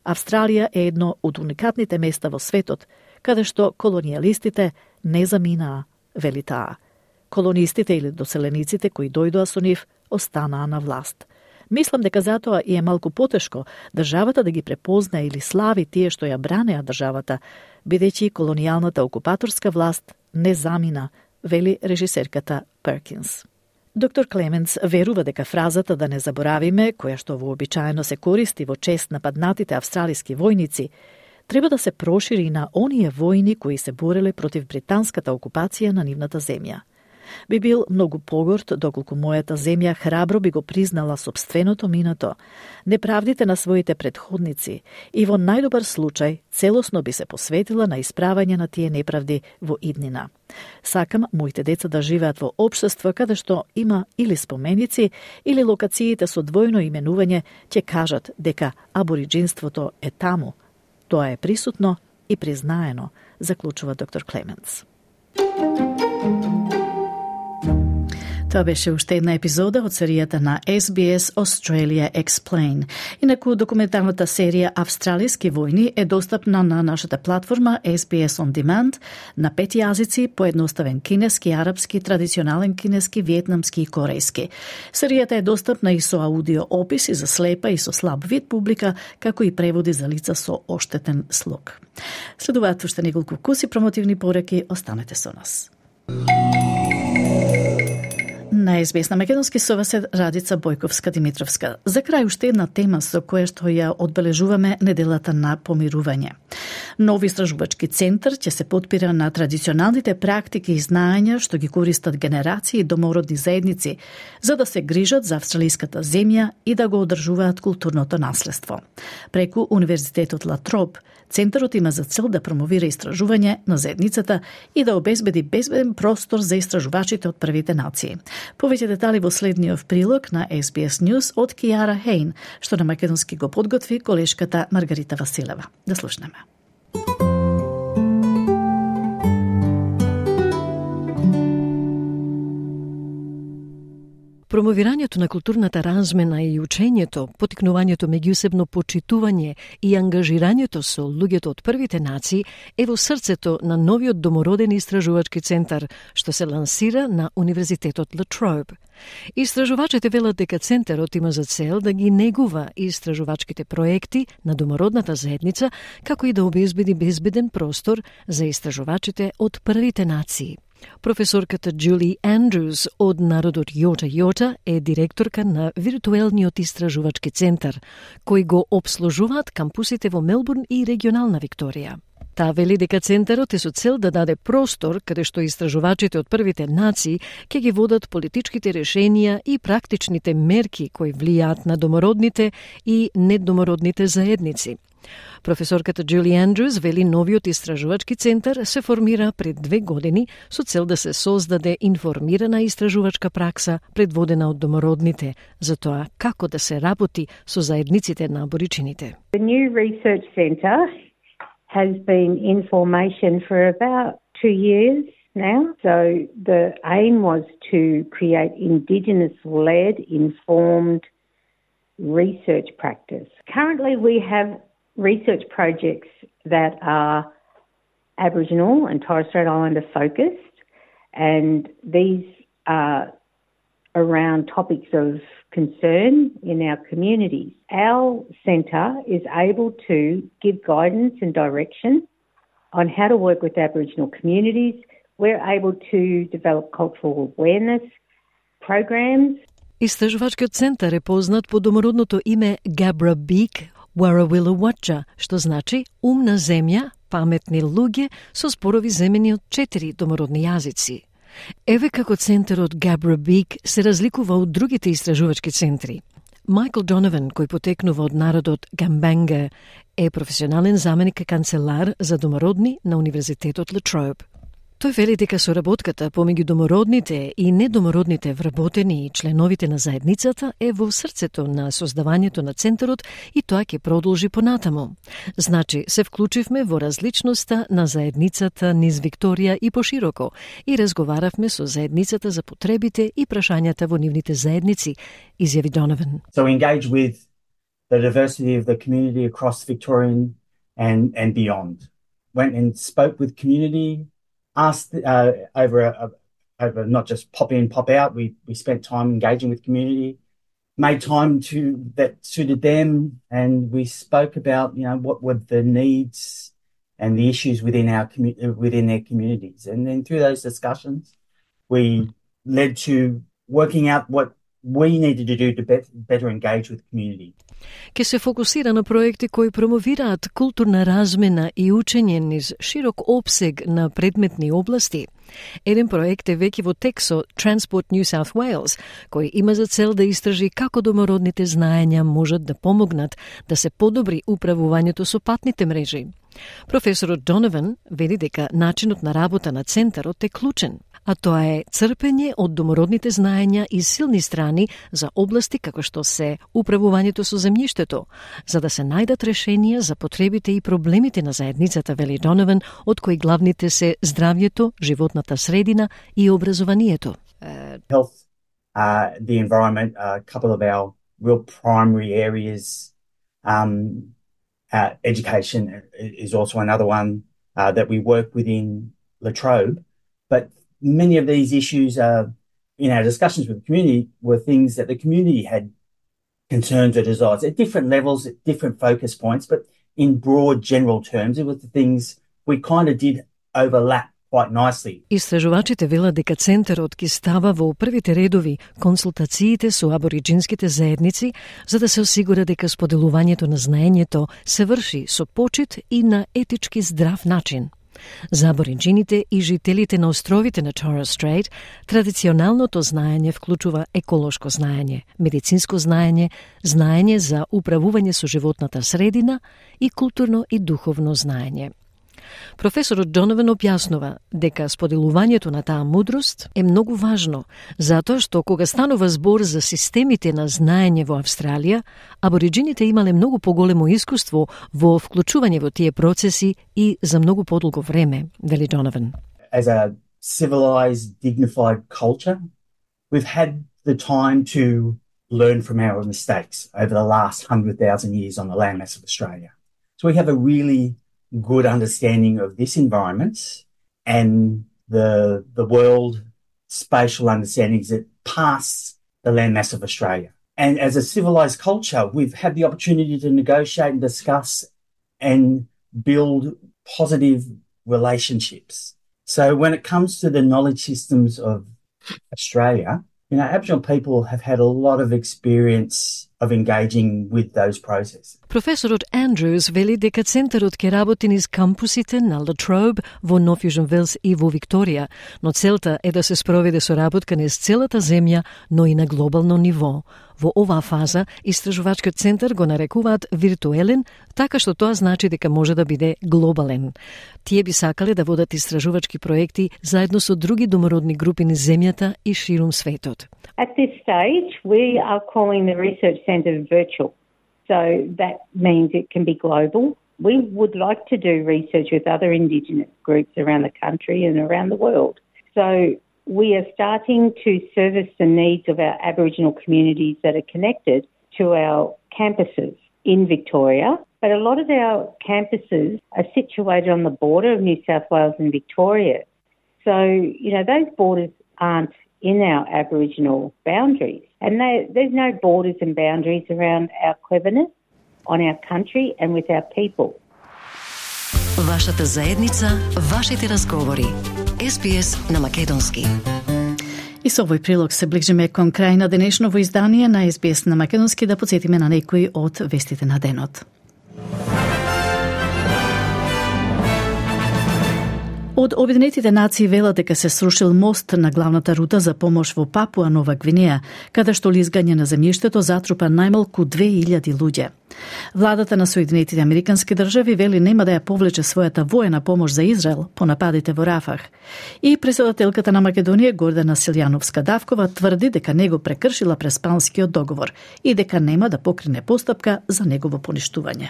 Австралија е едно од уникатните места во светот, каде што колонијалистите не заминаа, вели таа. Колонистите или доселениците кои дојдоа со нив останаа на власт. Мислам дека затоа и е малку потешко државата да ги препозна или слави тие што ја бранеа државата, бидејќи колонијалната окупаторска власт не замина, вели режисерката Перкинс. Доктор Клеменс верува дека фразата да не заборавиме, која што вообичаено се користи во чест на паднатите австралиски војници, треба да се прошири на оние војни кои се бореле против британската окупација на нивната земја. Би бил многу погорд доколку мојата земја храбро би го признала собственото минато, неправдите на своите предходници и во најдобар случај целосно би се посветила на исправање на тие неправди во иднина. Сакам моите деца да живеат во општество каде што има или споменици, или локациите со двојно именување ќе кажат дека абориџинството е таму. Тоа е присутно и признаено, заклучува доктор Клеменс. Тоа беше уште една епизода од серијата на Ес Би Ес Australia Explain. Инаку документарната серија Австралиски војни е достапна на нашата платформа Ес Би Ес On Demand на пет јазици, поедноставен кинески, арапски, традиционален кинески, виетнамски и корејски. Серијата е достапна и со аудио описи за слепа и со слаб вид публика, како и преводи за лица со оштетен слух. Следуваат уште неколку вкуси промотивни пораки, останете со нас. На Ес Би Ес на македонски со вас е Радица Бојковска-Димитровска. За крај уште една тема со која што ја одбележуваме неделата на помирување. Нов истражувачки центар ќе се потпира на традиционалните практики и знаења што ги користат генерации домородни заедници за да се грижат за австралиската земја и да го одржуваат културното наследство. Преку Универзитетот Ла Троп, центарот има за цел да промовира истражување на заедницата и да обезбеди безбеден простор за истражувачите од првите нации. Повеќе детали во следниот прилог на Ес Би Ес News од Киара Хейн, што на македонски го подготви колешката Маргарита Василева. Да слушнеме. Промовирањето на културната размена и учењето, потикнувањето меѓусебно почитување и ангажирањето со луѓето од првите нации е во срцето на новиот домороден истражувачки центар што се лансира на Универзитетот Ла Троп. Истражувачите велат дека центарот има за цел да ги негува истражувачките проекти на домородната заедница, како и да обезбеди безбеден простор за истражувачите од првите нации. Професорката Джули Андрюс од народот Јота Јота е директорка на виртуелниот истражувачки центар, кој го обслужуваат кампусите во Мелбурн и регионална Викторија. Таа вели дека центарот е со цел да даде простор каде што истражувачите од првите нации ќе ги водат политичките решенија и практичните мерки кои влијаат на домородните и недомородните заедници. Професорката Джули Андрюс вели новиот истражувачки центар се формира пред две години со цел да се создаде информирана истражувачка пракса предводена од домородните за тоа како да се работи со заедниците на аборичините. The new research centre has been in formation for about two years now. So the aim was to create Indigenous-led, informed research practice. Currently we have research projects that are Aboriginal and Torres Strait Islander focused, and these are around topics of concern in our communities. Our centre is able to give guidance and direction on how to work with Aboriginal communities. We're able to develop cultural awareness programs. Истражувачкиот центар е познат по домородното име Gabra Beek Warrawilla Watcha, што значи умна земја, паметни луѓе со спорови земени од четири домородни јазици. Еве како центарот Gabra Beek се разликува од другите истражувачки центри. Майкл Донован, кој потекнува од народот Гамбанга, е професионален заменик канцелар за домородни на Универзитетот Латроbe. Тој вели дека соработката помеѓу домородните и недомородните вработени и членовите на заедницата е во срцето на создавањето на центарот и тоа ќе продолжи понатаму. Значи, се вклучивме во различноста на заедницата низ Викторија и пошироко и разговаравме со заедницата за потребите и прашањата во нивните заедници, изјави Донован. So we engage with the diversity of the community across Victorian and, and beyond. Went and spoke with community, asked uh, over a, a, over not just pop in, pop out. We we spent time engaging with community, made time to that suited them, and we spoke about you know what were the needs and the issues within our commu- within their communities, and then through those discussions, we led to working out what we needed to do to be- better engage with community. Ке се фокусира на проекти кои промовираат културна размена и учење низ широк опсег на предметни области. Еден проект е веќе во тек со Transport New South Wales, кој има за цел да истражи како домородните знаења можат да помогнат да се подобри управувањето со патните мрежи. Професорот Донован вели дека начинот на работа на центарот е клучен, а тоа е црпење од домородните знаења и силни страни за области како што се управувањето со земјиштето, за да се најдат решенија за потребите и проблемите на заедницата, вели Донован, од кои главните се здравјето, животната средина и образованието. Uh, health, uh, the environment, a uh, couple of our real primary areas. Um, uh, education is also another one uh, that we work within Latrobe, but many of these issues uh, in our discussions with the community were things that the community had concerns or desires at different levels, at different focus points, but in broad general terms, it was the things we kind of did overlap quite nicely. Истражувачите велат дека центарот ќе става во првите редови консултациите со абориджинските заедници за да се осигура дека споделувањето на знаењето се врши со почит и на етички здрав начин. За абориджините и жителите на островите на Torres Strait, традиционалното знаење вклучува еколошко знаење, медицинско знаење, знаење за управување со животната средина и културно и духовно знаење. Професорот Донован објаснува дека споделувањето на таа мудрост е многу важно, затоа што кога станува збор за системите на знаење во Австралија, абориджините имале многу поголемо искуство во вклучување во тие процеси и за многу подолго време, вели Донован. As a civilized, dignified culture, we've had the time to learn from our mistakes over the last one hundred thousand years on the landmass of Australia. So we have a really good understanding of this environment and the the world spatial understandings that pass the landmass of Australia. And as a civilized culture, we've had the opportunity to negotiate and discuss and build positive relationships So when it comes to the knowledge systems of Australia, you know, Aboriginal people have had a lot of experience of engaging with those processes. Професорот Андрюс вели дека центарот ќе работи низ кампусите на Латроуб во Нов Јужен Велс и во Викторија, но целта е да се спроведе соработка низ целата земја, но и на глобално ниво. Во оваа фаза, истражувачкиот центар го нарекуваат виртуелен, така што тоа значи дека може да биде глобален. Тие би сакале да водат истражувачки проекти заедно со други домородни групи низ земјата и ширум светот. At this stage, we are calling the research centre virtual. So that means it can be global. We would like to do research with other Indigenous groups around the country and around the world. So we are starting to service the needs of our Aboriginal communities that are connected to our campuses in Victoria. But a lot of our campuses are situated on the border of New South Wales and Victoria. So, you know, those borders aren't in our Aboriginal boundaries. And they, there's no borders and boundaries around our cleverness, on our country and with our people. Вашата заедница, вашите разговори. Ес Би Ес на македонски. И со овој прилог се ближиме кон крај на денешново издание на Ес Би Ес на македонски, да потсетиме на некои од вестите на денот. Од Обединетите нации велат дека се срушил мост на главната рута за помош во Папуа Нова Гвинеја, каде што лизгање на земјиштето затрупа најмалку две илјади луѓе. Владата на Соединетите Американски држави вели нема да ја повлече својата воена помош за Израел по нападите во Рафах. И председателката на Македонија Гордана Силјановска-Давкова тврди дека него прекршила Преспанскиот договор и дека нема да покрене постапка за негово поништување.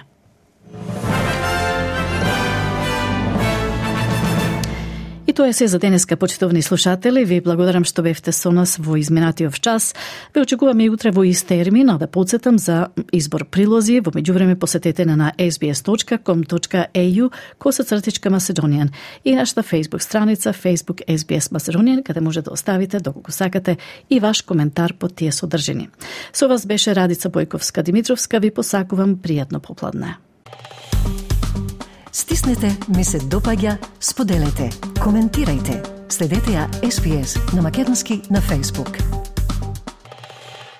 И тоа е се за денеска, почитовни слушатели. Ви благодарам што бевте со нас во изминатиот час. Ве очекуваме и утре во ист термин, а да подсетам за избор прилози. Во меѓувреме посетете на ес би ес точка ком точка ей ю косацртичка Macedonian и нашата Facebook страница Facebook Ес Би Ес Macedonian, каде може да оставите доколку сакате и ваш коментар по тие содржини. Со вас беше Радица Бојковска-Димитровска. Ви посакувам пријатно попладне. Стиснете, ми се допаѓа, споделете, коментирајте. Следете ја Ес Би Ес на македонски на Facebook.